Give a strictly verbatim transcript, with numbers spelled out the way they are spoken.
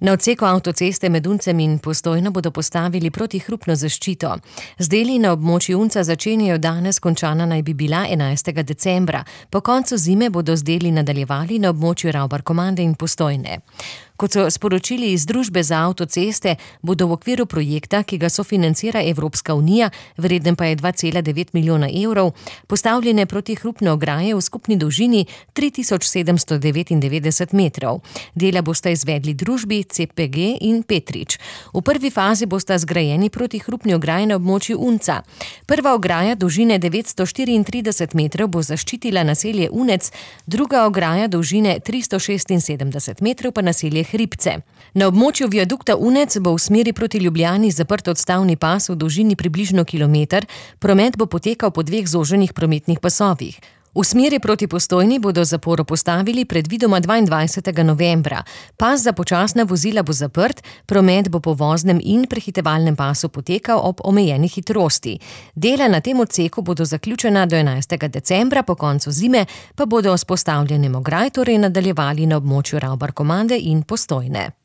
Na odseku avtoceste med Uncem in Postojno bodo postavili protihrupno zaščito. Z deli na območju Unca začenjajo danes, končana naj bi bila enajstega decembra. Po koncu zime bodo z deli nadaljevali na območju Ravbarkomande in Postojne. Kot so sporočili iz Družbe za avtoceste, bodo v okviru projekta, ki ga sofinancira Evropska unija, vreden pa je dva cela devet milijona evrov, postavljene protihrupne ograje v skupni dolžini tri tisoč sedemsto devetindevetdeset metrov. Dela bosta izvedli družbi C P G in Petrič. V prvi fazi bosta zgrajeni protihrupni ograji na območju Unca. Prva ograja dolžine devetsto štiriintrideset metrov bo zaščitila naselje Unec, druga ograja dolžine tristo šestinsedemdeset metrov pa naselje Hribce. Na območju viadukta Unec bo v smeri proti Ljubljani zaprt odstavni pas v dolžini približno kilometer, promet bo potekal po dveh zoženih prometnih pasovih. V smeri proti Postojni bodo zaporo postavili predvidoma dvaindvajsetega novembra. Pas za počasna vozila bo zaprt, promet bo po voznem in prehitevalnem pasu potekal ob omejeni hitrosti. Dela na tem odseku bodo zaključena do enajstega decembra, po koncu zime pa bodo s postavljanjem ograj torej nadaljevali na območju Ravbarkomande in Postojne.